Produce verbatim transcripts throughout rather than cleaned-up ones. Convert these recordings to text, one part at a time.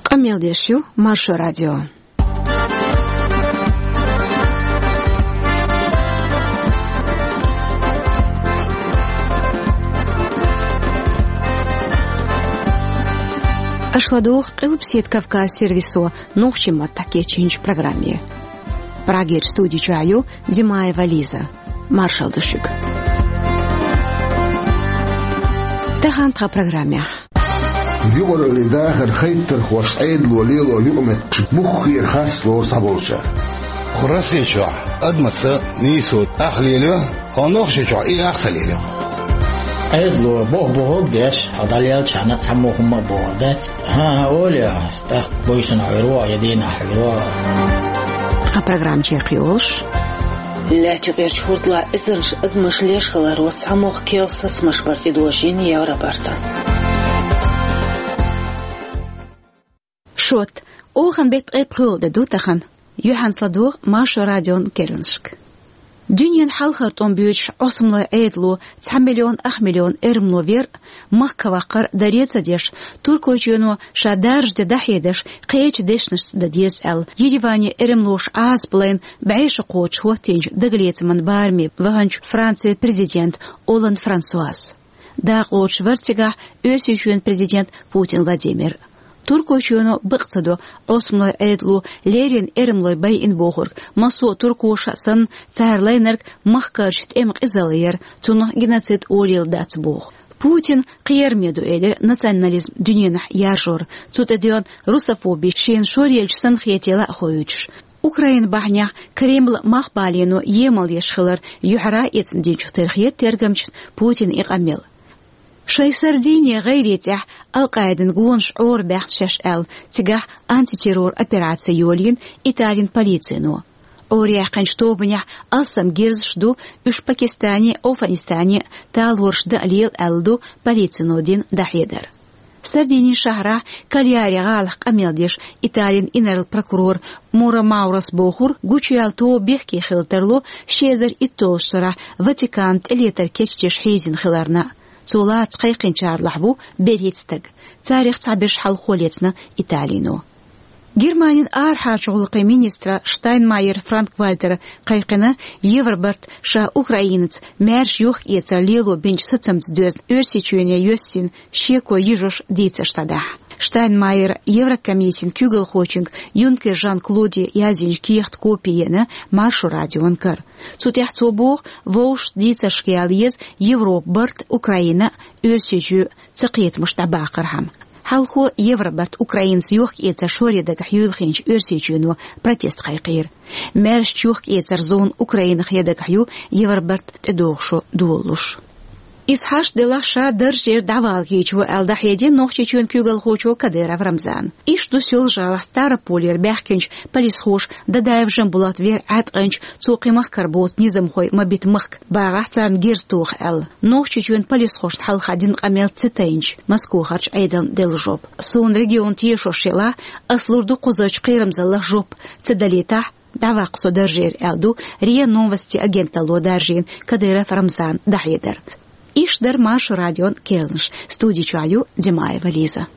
Къамел деш ю Маршо радио. Аша ладугӀу Къилбаседа Кавказ сервисо нохчийн маттахь кечйинчу программе. Прагерчу студи чохь ю Димаева Лиза. Маршалла ду шуьга. Тахана тхан программехь. Юкъараллин дахар хайтархошца Ӏедало лело юкъаметтигаш муххара харц лору цхьаболчара. Кху Росси чохь адамаца нийсо ах лелайо, хьо Нохчийчохь и ах ца лелайо. Ӏедало боху бохург деш, хьо дӀалелчахьана цхьаммо хӀумма а бохур дац. ХӀан-хӀа, олий, тӀаккха буьйсанна хьуьйр ву, я дийнахь хьуьйр ву. Тхан программа чекхйолуш. Лаьттан юкъерчу хӀордалахь эзарнаш адамаш леш хиларо цхьамогӀа керла сацамаш бара тӀедожийна Евробартан. Шот, охан беттан ткъе пхоьалгӀа де ду тахана. Юьхьанца ладогӀа Маршо радион керланашка. Дуьненан хьалхара тӀом боьдуш Ӏосамлойн Ӏедало цхьа миллион ах миллион эрмало вер а, махка ваккхар а даре а ца деш, Туркойчоьно ша даржа де дӀахьедеш, кхечу дешнашца дан деза аьлла, Ереване эрмалоша Ӏазап лайна бӀе шо кхочуш хӀоттийначу дагалецаман бараме ваханчу Францин президент Олланд Франсуас. Дакъалоцуш вара цигахь Оьрсийчоьнан президент Путин Владимир. Туркойчоьно бакъ ца до Ӏосамлойн Ӏедало леррина эрмалой байина бохург, массо а туркоша а санна, цара лайнарг махкарчу тӀеман къизалла яра, цунах геноцид олийла дац боху. Путина кхераме ду элира национализм дуьненахь яржор, цу тӀе доьгӀна русофоби шена шоръелча санна хетийла а хоуьйтуш. Украина бахьанехь Кремлан мах балийно емал еш хилар юьхьара а эцна динчух тера хета тергамчашна Путина и къамел. Шайн Сардини гӀайре тӀехь Ал-Къаидан гонаш Ӏорабаьхна шаьш аьлла, цигахь антитеррор операци йолийна Италин полицино. Ӏораяьккхинчу тобанехь алсам герзаш ду, уьш Пакистане а, Афганистане а талораш дан а лела аьлла ду полицино дина дӀахьедар. Сардинин шахьарахь Кальяри гӀалахь къамел деш Италин инарла прокурор Мура Маурас бохура, гучуяьлла тоба бехке хила тарло ши эзар итталгӀачу шарахь Ватиканна тӀелетар кечдеш хьийзина хиларна. Цо лаца кхайкхинчарлахь ву берхӀитта стаг. Царах цхьаберш хьалхо лецна Италино. Германин арахьарчу гӀуллакхийн министра Штайнмайер Франк-Вальтера кхайкхина Евробарт ша Украинаца маьрша йохк-эцар лело бинчу сацамца доьзна Оьрсийчоьне йоьссина шеко йижош дийцарш дӀадахьа. Штайнмайера Еврокомиссин куьйгалхочуьнга Юнкер Жан-Клоде яздинчу кехатан копи еана Маршо радион кара. Цу тӀехь цо боху, вовшашца дийцаршка яла еза Европа барт, Украина а, Оьрсийчоь а цакхетамаш дӀабаккхархьама. Хьалхо Евробарт Украинаца йохк-эцар шоре дагахь юьйлахинчу Оьрсийчоьно протест кхайкхийра. Маьршачу йохк-эцаран зона Украинах ян дагахь ю Евробарт тӀедогӀу шо долалуш. Иза хьашт делахь, ша даржера дӀавала кийча ву аьлла дӀахьедина Нохчийчоьнан куьйгалхочо Кадыров Рамзана. Иштта ду Соьлжа-ГӀалахь Ставрополера баьхкинчу полисхоша Дадаев Жамбулат вер Ӏаткъинчу, цо кхин махкара боцу низамхой ма бита махка, багӀахь царна герз тоха аьлла. Нохчийчоьнан полисхошна хьалха дина къамел ца тайначу Москохарчу Ӏедална делла жоп. Суна регион тешош елахь, ас лур ду кхузарчу кхерамзаллах жоп, ца далийтахь, дӀаваккха со даржера аьлла ду РИА Новости агенталло даржийна Кадыров Рамзана дӀахьедар. Иштта дара Маршо радион керланаш. Студи чохь ю Димаева Лиза.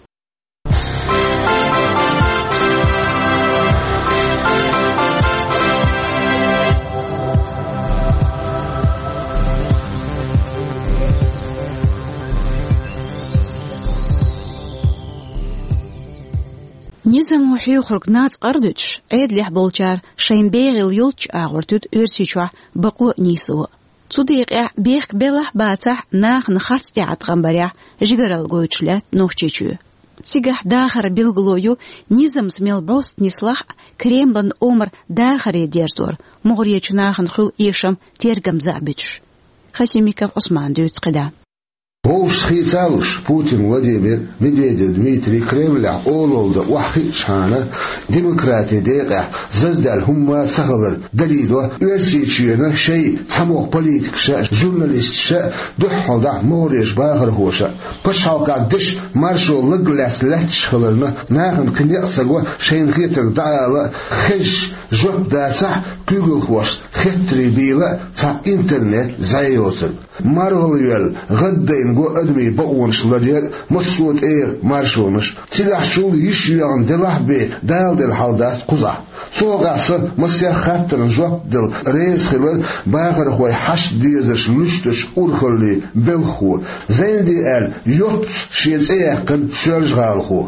Низамо хьоьхург нацкъара дуьтуш, Ӏедалехь болчара шайна бегӀийла йолччу агӀор туьду Оьрсийчохь бакъо а, нийсо а. Цу декъехь бехк белахь а, бацахь а, нахана харц тӀеӀаткъам барехь жигаралла гойтуш лаьтта Нохчийчоь. Цигахь дахаран билгало ю низамца мел бӀост нислахь а, Кремлан омра дахаре дерзор, мугӀарерчу нахана хуьлу эшам тергамза а буьтуш. Хасимиков Ӏусмана дуьйцу кхидӀа. Вовшашца хийцалуш, Путин Владимир, Медведев Дмитрий Кремлехь олалла дан охьахиъчхьана, демократин декъехь заздаьлла хӀумма а ца хилар далийдо Оьрсийчоьнан шайн цхьамогӀа политикаша а, журналисташа а дуьххьалдахь могӀарерчу бахархоша а. Пачхьалкхан дешан маршо лаг лаьцна лаьтташ хиларна, нахана кхин некъ ца го шайна хетарг дӀаала а, хезаш жоп дацахь а, куьйгалхошца хеттарий бийла а цхьа интернет зӀе йоцург. МаргӀалвелла, гӀаддайна Го адамийн бакъонаш ларъяр а, массо а тӀегӀан маршонаш а. Цигахьчул йиш йоьгӀна делахь а бен, Дала делла хьал дац кхузахь. Цу хьокъехь сан массех хаттарна жоп дала реза хилар бахархой хьашт дезарш луьстучу урхаллин белхахо, Зайнди аьлла, йоццуш шен цӀе яьккхина соьлжа-гӀалахо.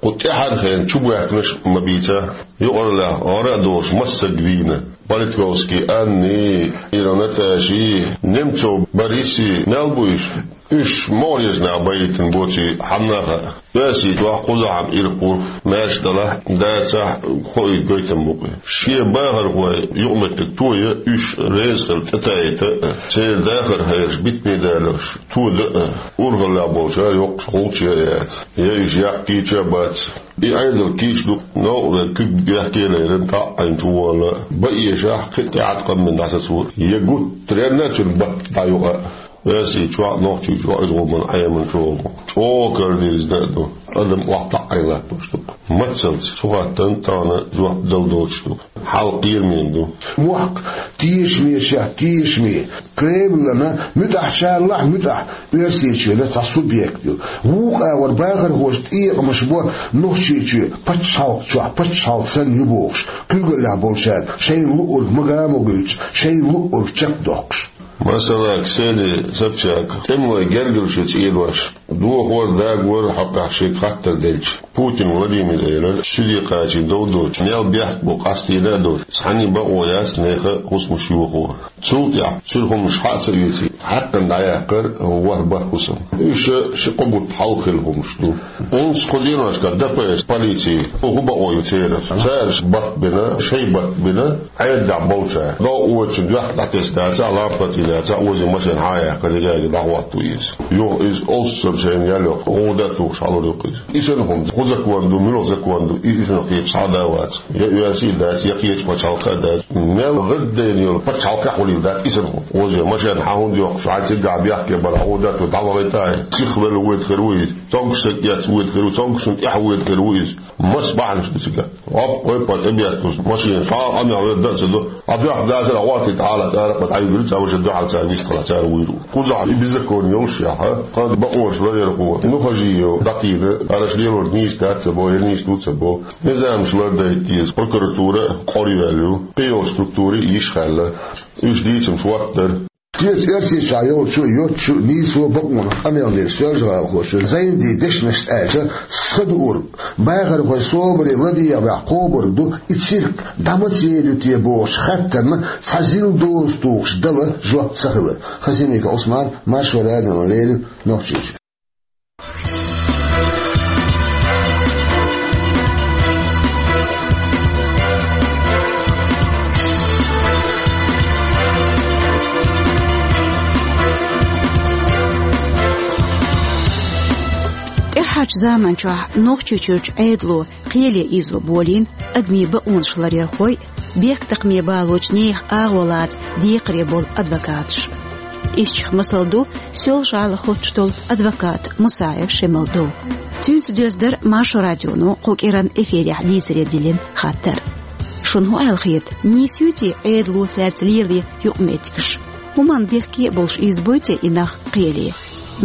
Кху тӀаьхьархенна чубоьхкинарш а ма бийцахь, юкъараллехь гӀара а долуш массарг вийна. Политковский Анни, Иров Наташи, Немцов Бориси мел бу уьш? Уьш могӀарерчу наха байийтина боций хьанна а хаьа. Оьрсийчохь кхузахь-м ирхъо, маьрша далахь а, дацахь а, хоуьйту гойтам бу-кх и. Шен бахархой юкъаметтиг тоя, уьш реза хила тӀетайита а, церан дахар хьераш битаме даларш тода а, урхаллехь болчара йоккхуш гӀулч ян яц. Я уьш яккхийча а бац. И Ӏедал кийча ду, новкъа верг куьг бехке а лерина, тӀаьхьа Ӏийна чуволла, бан эшахь, кхин а тӀаьхьа къамелна дӀасацо, я гуттаренна а цуьнан батт дӀаюкъа а. Оьрсийчохь а, Нохчийчохь а иза гӀо ма-, Ӏемина чӀогӀа. ЧӀогӀа карадирзина а ду. Адам охьатаӀийна латтош ду-кх. Мацалц цу хаттарна тахана жоп дала доцуш ду. Хьал кхерамийн ду. Мохк тешамечех тешаме, Кремлана муьтӀахь, чарлахь а муьтӀахь, Оьрсийчоьнан цхьа субъект ю. Вукху агӀор бахархоша тӀекъамаш бо Нохчийчоь пачхьалкх чохь пачхьалкх санна ю бохуш, куьйгаллехь болчара шайна луург мага а ма гойтуш, шайна луург чекхдоккхуш. Масала, Ксения Собчак, тӀемалой гергарчу цӀенош, дохор, дагор хьокъехь шега хаттар делча, Путин Владимира элира, суьде кхачийна дов доцуш, мел бехк бу къастийна а долуш, цхьанний бакъо яц нехан хӀусамаш йохо. Цул тӀаьхьа цуьнан хӀуманаш хьа а ца оьций, хьаькхна дӀаяккхар ворхӀ бархӀ хӀусам. Уьш ши-кхо бутт хьалха хилла хӀуманаш ду. ХӀинца кху деношкахь Д П С, полици, хӀун бакъо ю церан? Цара барт бина, шайн барт бина, Ӏедалехь болчара. Дов оцу доьхка дӀатесна дацахь, лампа тӀе лаьцахь, озийна машен хьа а яьккхина, дерриге дӀахӀотто иза. Юха иза олуссар шайна ял йоккху, гӀуда а тухуш хьалур ю-кх иза. И санна хӀума, хӀун закон ду, муьлха закон ду, и, и санна кхечу схьа а дан вац. Я оьрсий дац, я кхечу пачхьалкха а дац. Мел гӀаддайна йолу пачхьалкхехь хуьлийла дац и санна хӀума. Озийна машен хьа хӀунда йоккхуш, хьайн цигахь бехке бара, гӀуда а ту дӀавахийта а, сиха велла воьду хир ву иза. Цомгуш стаг эцна воьду хир ву, цомгушна тӀаьхьа воьду хир ву иза. Масса бахьанаш ду цигахь. Оп, ойпа тӀебетталуш, машина схьа а къамел верг дан а ца до. Ӏа доьхна дацара, гӀоттийта хьала цара, кху дӀайигира, цара ваша дуьхьал цара вистхила, цара вуьйр ву. Кхузахь и беззаконие йолушехь, кхана бакъонаш ларъярхо, ну хажийо, дӀакхийна, араша лелорг нийса дац ца бо, я нийса ду ца бо. Низамаш лардайта деза, прокуратура а къора йоьлла ю, кхийолу структура а йиш хаьлла. Уьш дийцамаш хӀоттадара. Шеца Оьрсийчохь йолчу а, йоцчу а нийсо а бакъонах къамел дира соьлжа-гӀалахочо. Зайндин дешнашца аьлча, са дуург, бахархой собаре ладегӀа баьхьа кхобург ду, и цирк дӀа маца ели ю те бохучу хаттарна цхьа зил доза тухуш дала жоп ца хилар. Хасимиков Ӏусман, Маршо радиона леррина, Нохчийчоь. ТӀаьххьарчу заманчохь Нохчийчуьрчу Ӏедало кхеле ийзо болийна адамийн бакъонаш ларъярхой, бехктакхаме балочу нехан агӀо лаца декхаре болу адвокаташ. Ишттачех масал ду Соьлжа-ГӀала хоттуш долу адвокат Мусаев Шемалдов. Цуьнца доьзна дара Маршо радионо кху кӀиранан эфирехь дийцаре диллина хаттар. Шуна хӀун аьлла хета, нийса юй те Ӏедало цаьрца лелае юкъаметтигаш? ХӀуманна бехке а болуш ийзабой те и нах кхеле?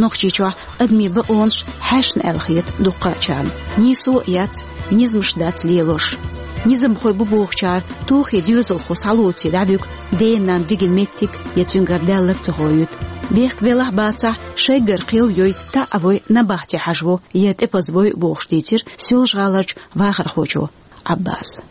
Нохчийчохь адамийн бакъонаш хьаьшна аьлла хета дуккхачарна. Нийсо а яц, низамаш дац лелош. Низамхой бу бохучара, тохе доьзалхо схьалоций дӀавуьгу ден-ненан вигина меттиг я цуьнгара даьлларг ца хоуьйту. Бехк белахь а бацахь, шайгара кхел йой, таӀа вой, набахте хьажаво я тӀепаза вой а бохуш дийцира Соьлжа-ГӀаларчу вахархочо Ӏаббаса.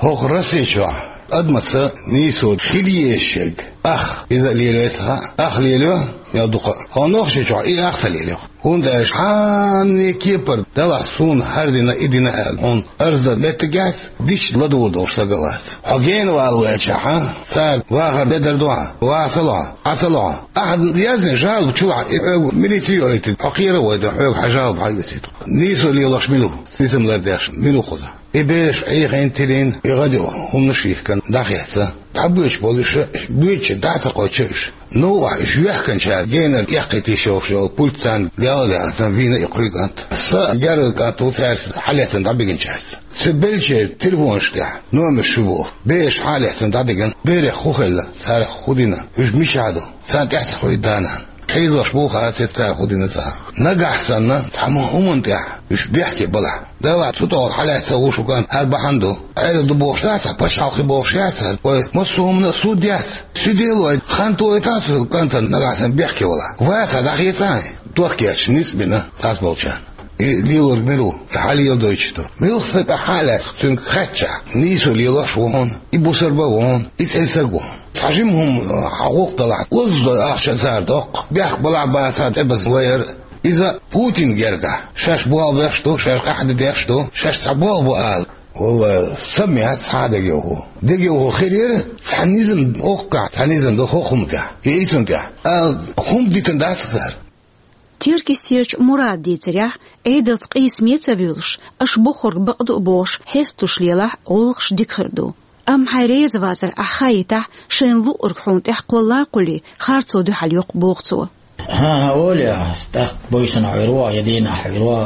ХӀокху Российчохь адамаца нийсо хила езаш ерг ах иза а лелайта ца хаьа, ах лелайо мел дукха а. ХӀокху Нохчийчохь и ах ца лелайо. ХӀунда аьлча хьанна кепара далахь суна хӀара дина, и дина аьлла, хьуна арз дан меттиг яц, дича ладугӀур долуш стаг а вац. Хьо гена вала ваьлчахьа, цара вахар де дар ду хьан, ваха ца ло хьан, Ӏа ца ло хьан. Ахьа яздина жалоба чулахь, и хьоьга милици а ойтина, хьо кхера а вайтина, хьоьга хьан жалоба хьан оьцийта. Нийсо лелош мила ву, низам лардеш мила ву кхузахь? И бераш Ӏехийна, тилийна, и гӀадиъ хӀуманаш а йихкина дӀахецна. ДӀабоьдуш болу уьш, боьдучу дӀа а ца кхочу уьш. Новкъахь уьш йоьхкинчара генара эккхийта йиш йолуш йолу пульт царна лелла а лаьцна вийна и кхуьйга кӀант. Сан герза кӀант ву цаьрца хьалаьцна дӀабигинчаьрца. Цу беллачеран телефонаш тӀехь номерш ю боху. Бераш хьалаьцна дӀадигина, берех хӀун хилла, царах хӀун дина, уьш мичахь ду, царна тӀаьхьа ца хуьйду да-нана. хьийзош бу хьа, цецара хӀу дина цара. Нагахь санна, цхьа ма хӀуманна тӀехь уьш бехке балахь, Дала цу тӀехула хьалаьцна ву шуган хӀара бахьана ду. Ӏедал ду бохуш дац, пачхьалкхе бохуш яц, вай массо а хӀуманна а суд яц. Суьделой хан тойтан цу кӀантана нагахь санна бехке вала. Ваца дӀахецахьа, дохкечу ницкъ бина цхьацца болчарна. И лелорг мила ву, и хьалеладойтуш ду. Милха стаг ахь а лаьцна, цуьнга хаьттича, нийсо лелош ву хьуна, и бусарба ву хьуна, и цӀена саг ву хьуна. Цхьа жима хӀума хьан гӀуллакх далахь, оззо ахча цара доккху, бехк балахь бацахь тӀебаза вайар. Иза Путин гергахь, шаьш болх беш ду, шаьш къахьде деш ду, шаьш цхьа болх бу ала. Валла, са меца хьан дегайовхо. Дегайовхо хир яра, цхьа низам оккхахь, цхьа низам ду хӀокху хӀума тӀехь, и цунна тӀехь. Ала хӀума дитина дац цара. Теркйистерчу Мурада дийцарехь, Ӏедалца къийсаме ца вуьйлуш, аша бохург бакъду а бохуш, хьесталуш лелахь, гӀуллакхаш дика хир ду. Амма хьайн реза вацар ахь хаийтахь, шайна луъург хьуна тӀехь кхолла а кхуллий, харцо дуьхьал йоккху боху цо. ХӀан-хӀа, олехь, тӀаккха буьйсанна хьуьйр ву, я дийнахь хьуьйр ву.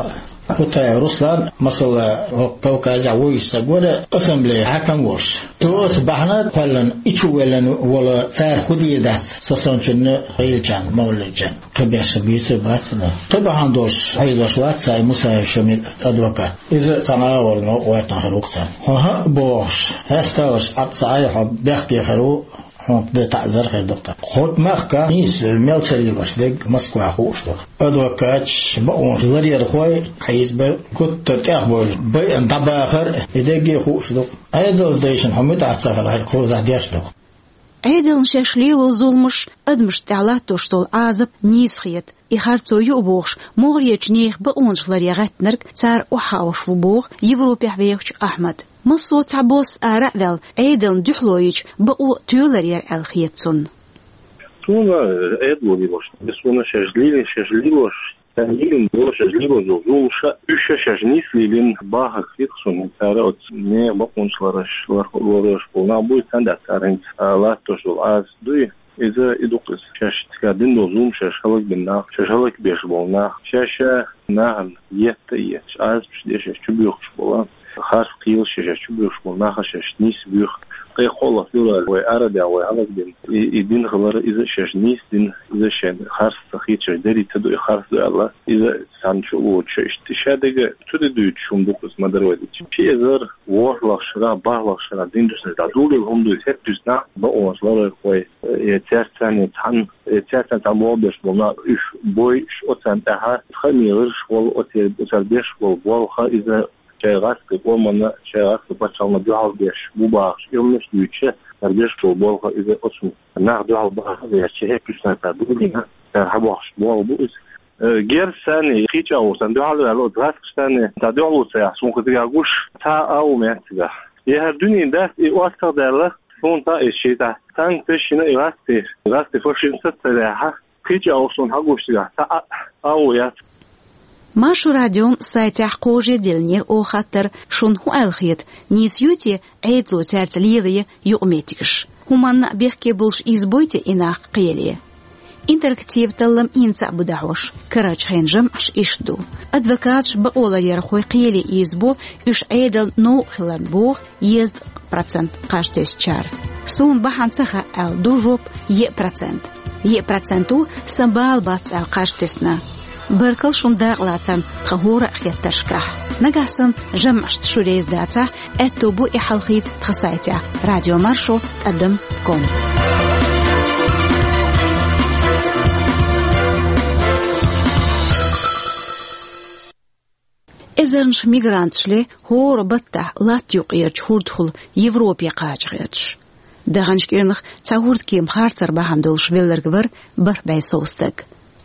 Кутаев Руслан, масала, хӀокху Кавказехь вуьйцуш стаг вара, ассамблея хьаькам волуш. Тоца бахьана кхоьллина, и чу веллина волу цара хӀу дийр дац, со санначунна, гӀийлачарна, мовлидчарна. Кхин беш буьйцур бац хьуна. Кхин бахьана долуш хьийзош вац цхьа и Мусаев Шамил адвокат. Иза цхьана агӀор новкъа гӀоьртина хир ву-кх царна. Хьо хӀаъ бохуш, хьесталаш Ӏад ца Ӏай, хьо бехке хир ву, хьуна де таӀзар хир ду-кх тхан. ХӀокху махка нийса мел ца лелош дерг Москвахь хууш ду-кх. Адвокаташ, бакъонаш ларъярхой, хьийзабар, гуттар тӀехбевлла, байъина дӀабахар, и дерриге а хууш ду-кх. Ӏедалан дайшна хьо муьтӀахь ца хилахь, кхузахь деш ду-кх. Ӏедална шаьш лело зуламаш, адамашна тӀехь латтош долу Ӏазап нийса хета. И харцо ю а бохуш, могӀарерчу нехан бакъонаш ларъян гӀаьттинарг цара охьахаош ву боху Европехь вехачу Ахьмада. Массо а цхьабосса ара а ваьлла, Ӏедална дуьхьало йича, бакъо тоьлур яра аьлла хета цунна. Суна Ӏедало лелош, суна шаьш лелийна, шаьш лелош, цара лелийна долу, шаьш лелош долу зуламаш, уьш шаьш нийса лелийна бахарг хета суна. Цара оцу нехан бакъонаш ларъеш, лар-, ларъеш болу нах буй, царна тӀехь цара хӀинца, а, латтош долу Ӏазап дуй. Иза и ду-кх иза. Шаьш цигахь дина долу зуламаш, шаьш хӀаллакбина нах, шаьш хӀаллакбеш болу нах, шаьш нахана етта а етташ, Ӏазапаш деш, шаьш чубоьхкуш болу, харц кхелаш шаьш чубоьхкуш болу нах шаьш нийса боьху. Кхин кхоалгӀа февраль вай арадехь, вай хӀаллакдина и, и дин хилар, иза шаьш нийса дина, иза шайн харц ца хета, шаьш дерриг ца ду и харц ду аьлла, иза цхьана чу а воцуш иштта. Ша дерг цу тӀе дуьйцуш хӀума ду-кх иза, ма-дарра вай дийцича. Ши эзар ворхӀлагӀчу шарахь, бархӀлагӀчу шарахь дин дуьсуш дӀадолийла хӀума ду иза, хӀетта-уьстагӀ нах бакъонаш ларъярхой, э, я цаьрца цхьаьна цхьаьна, э, цаьрца цхьаьна болх беш болу нах, уьш бойуш, оцарна тӀехь хаамийн гӀирсаш волу, оцу, оцара беш болу болх, иза шайн гӀаскхийн къоманна, шайн гӀаскхийн пачхьалкхана дуьхьал беш бу бахаш, и хӀуманаш дуьйцуш, цара беш болу болх, иза оцу нах дуьхьал баха а баьхча, хӀетта-уьстагӀ цара долийна, цара хьабохкуш болх бу иза. Э, герз санна, кхечу агӀор санна дуьхьал а ваьлла, оцу гӀаскхаша санна, цхьа дуьхьало ца яхь, суна кхин цигахь гуш, цхьа а агӀо ма яц цигахь. И хӀара дуьненан даста и оццагӀдаьлла, суна цхьа а иза шайтӀа. Санкцеш йина и гӀаскхий, гӀаскхий фашизм саца ца ваьхьа, кхечу агӀор суна хьагуш цигахь цхьа а агӀо яц. Маршо радион сайтехь кхожаделлера оха хаттар: шуна хӀун аьлла хета, нийса ю те Ӏедало цаьрца лелае юкъаметтигаш? ХӀуманна а бехке болуш ийзабой те и нах кхеле? Интерактив таллам хӀинца а бу дӀахьош, карарчу хенан жамӀаш иштта ду. Адвокаташ, бакъо ларъярхой кхеле ийзабо уьш Ӏедална новкъа хиларна боху езткъа процент кхаж тесначара. Суна бахьана ца хаьа аьлла ду жоп еа процент. Еа процент ву сан бала бац аьлла кхаж тесна. Баркалла шуна дакъалацарна тхан хӀора а хеттаршкахь. Нагахь санна жамӀашца шу реза дацахь, аьтто бу и хьалхийца тхан сайтехь радиомаршо тӀадам ком. Эзарнаш мигранташ ле хӀора баттахь латта юккъерчу хӀордахула Европе кхача гӀерташ. Даханчу кӀирнах цхьа хӀордкема харцар бахьана долуш велларг вара бархӀ бӀе сов стаг.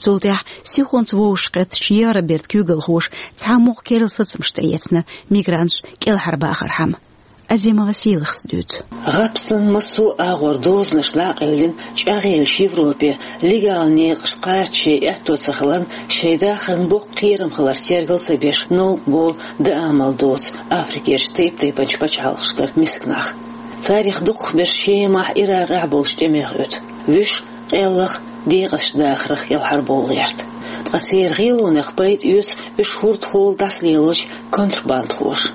Цул тӀаьхьа сихонца вовшахкхеттачу Евробертан куьйгалхоша цхьа а мугӀ керла сацамаш тӀеэцна мигранташ кӀелхьарбахархьама. Азимова Сийлахас дуьйцу. ГӀапсан массо а агӀор дозанаш дӀа а къевлина, чӀагӀъеллачу Европе легал некъаш кхача шайн аьтто ца хиларна, шайн дахарна боккха кхерам хиларх тергал ца беш, новкъа бо, даа мел доцу Африкерчу тайп-тайпанчу пачхьалкхашкара миска нах. Царах дукхахберш Шемахь, Иракъехь болчу тӀемех оьту. Вуьш къеллах, декъазчу дахарх кӀелхьарбовла гӀерта. Ткъа церан гӀелонех пайда оьцу уьш хӀордахула дӀасалелочу контрабандхоша.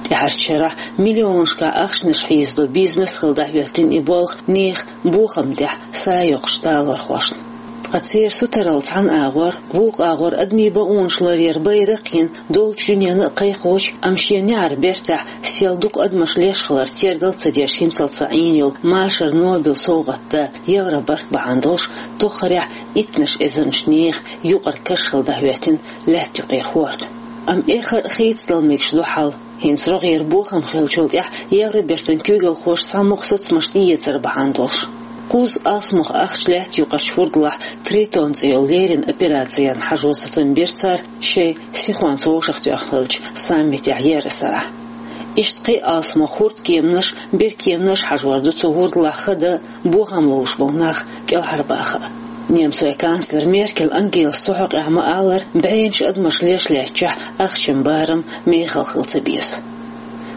ТӀаьхьарчу шарахь миллионашкахь ахчанаш хьийзадо бизнес хилла дӀахӀоьттина и болх нехан бохамна тӀехь са йоккхучу талорхошна. Ткъа церан сутаралла цхьан агӀор, вукху агӀор адамийн бакъонаш ларъяран байракх йина долчу дуьненна а кхайкхочу, амма шен неӀаран бертахь сел дукха адамаш леш хилар тергал ца деш хӀинцалц Ӏийна йолу машаран Нобелан совгӀатан да Евробарт бахьана долуш, тоххарехь иттаннаш эзарнаш нехан юкъара каш хилла дӀахӀоьттина лаьтта юкъера хӀорд. Амма эххар а хийцадала мегаш ду хьал, хӀинца рогӀера бохам хиллачул тӀаьхьа Евробертан куьйгалхоша цхьамогӀа сацамаш тӀеэцар бахьана долуш. Кхузза алсамох ахча лаьтта юкъарчу хӀурдалахь Тритон цӀе йолу леррина операци ярна хьажо сацам бира цара шайн сихонца вовшахтоьхна хиллачу саммитехь еаран сарахь. Иштта кхин а алсамох хӀурдкеманаш, беркеманаш хьажор ду цу хӀурдалахь хада а, бохам ловш болу нах кӀелхьарбаха а. Немцойн канцлер Меркель Ангелас цу хьокъехь ма-аллара, бӀеннаш адамаш леш лаьттачохь ахчан барам мехала хила ца беза.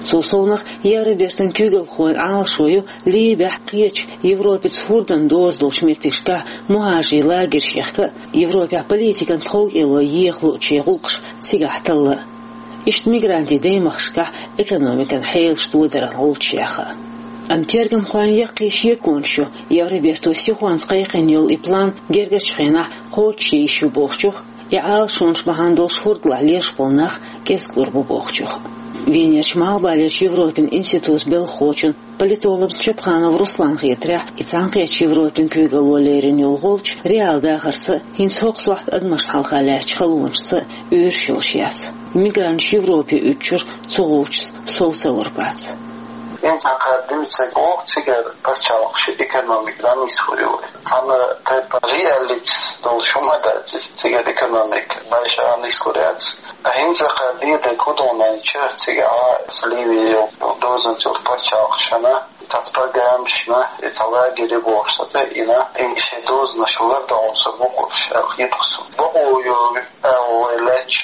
Цул совнаха Евробертан куьйгалхойн Ӏалашо ю Ливехь, кхечу Европаца хӀурдан доза долчу меттигашкахь мухӀажарийн лагерш яхка а, Европехь политикан тховкӀело еха луучу гӀуллакхаш цигахь талла а. Иштта мигрантийн даймахкашкахь экономикан хьелаш тодаран гӀулчаш яха а. Амма тергамхойн яккхий шеконаш ю, Евроберто сихонца кхайкхина йолу и план гергарчу хенахь кхочушъян йиш ю бохучух, и Ӏалашонаш бахьана долуш хӀурдалахь леш болу нах кӀезиг лур бу бохучух. Венерчу Малхбалерчу Европин институтан белхахочун, политологан Чапханов Русланна хетарехь, и Цхьаьнакхеттачу Европин куьйгалло лерина йолу гӀулч реал дахарца а, хӀинца хӀокху сохьта адамашна хьалха лаьттачу халонашца а уьйраш йолуш яц. Мигранташ Европе уьдучуьра цу гӀулчашца сов ца лур бац. ХӀинца кхара дуьйцург боху, цигара пачхьалкхаш экономика дӀанисхур ю. Цхьана тайпа реалити долуш хӀума дац иза, цигара экономика баьш а нисхур яц. ХӀинца кхара дийриг хӀун ду аьлча, цигахь Ливе йолу дозанца йолу пачхьалкхашна, цхьацца программашна, и цхьа лагерь бохуш цхьацца йина, и шайн дозанаш лардо хьуна со бохуш, аьлла хета суна. Бакъо йо Ӏа вай лаьтташ,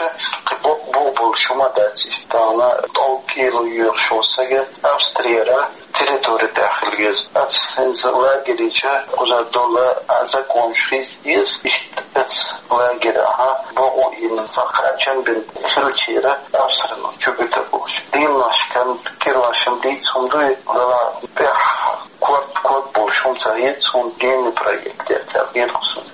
кхин бакъ бу болуш хӀума дац иза. Тахана тӀовккӀийла йоьхуш волу сага Австрияра территори тӀехь хила веза. Аца хӀинца лагерича кхуза долу а законаш хийца деза. Иштта аца лагерахь бакъо йина, цхьа кхачам бина хиллачара Австрина чу буьтур болуш. Дийнашкан кӀиранашкан дийца хӀума ду и, вала тӀехь корта ког болуш хӀума ца хета суна, генный проект яц аьлла хета суна.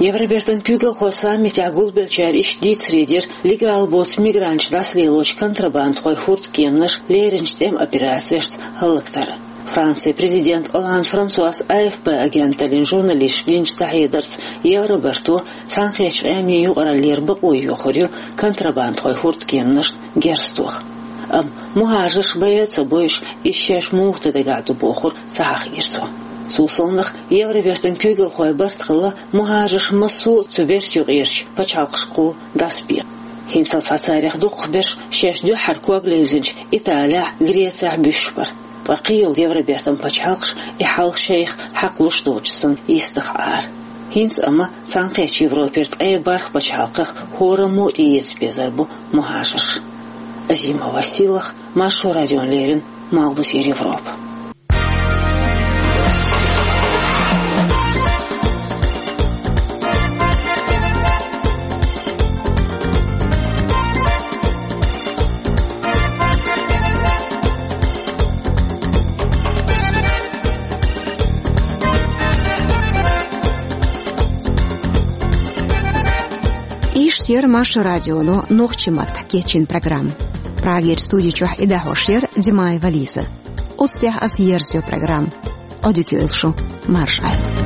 Евробертан куьйгалхойн саммитехь гулбеллачара иштта дийцаре дира легал боцу мигранташ дӀасалелочу контрабандхойн хӀурдкеманаш леринчу тӀеман операцешца хӀаллактар. Францин президент Олланд Франсуас А Ф П агенталлин журналисташка динчу дӀахьедарца, Евробарто Цхьаьнакхеттачу Къеман юкъараллера бакъо йохур ю контрабандхойн хӀурдкеманашна герз тоха. Амма мухӀажарш байа а ца бойуш, иза шаьш муха дан дагахь ду бохург ца хьахийра цо. Цул совнаха, Евробертан куьйгалхойн барт хилла мухӀажарш массо а цу берта юкъерчу пачхьалкхашкахула дӀасабе. ХӀинцалц царех дукхахберш шаьш дуьххьара ког левзинчу Италехь, Грецехь буьсуш бара. Ткъа кхин йолу Евробертан пачхьалкхаш и хьал шайх хьакхалуш доцуш санна йистах Ӏара. ХӀинца амма Цхьаьнакхеттачу Европера ткъе бархӀ пачхьалкхах хӀораммо а тӀеэца безар бу мухӀажарш. Азимова Силах, Маршо радиона леррина, Малхбузера Европа. Иштта яра Маршо радионо нохчийн маттахь кечйина программа. Прагерчу студи чохь и дӀахьош яра Димаева Лиза. Оцу тӀехь ас ерзайо программа. Ӏодика йойла шу, марша Ӏойла.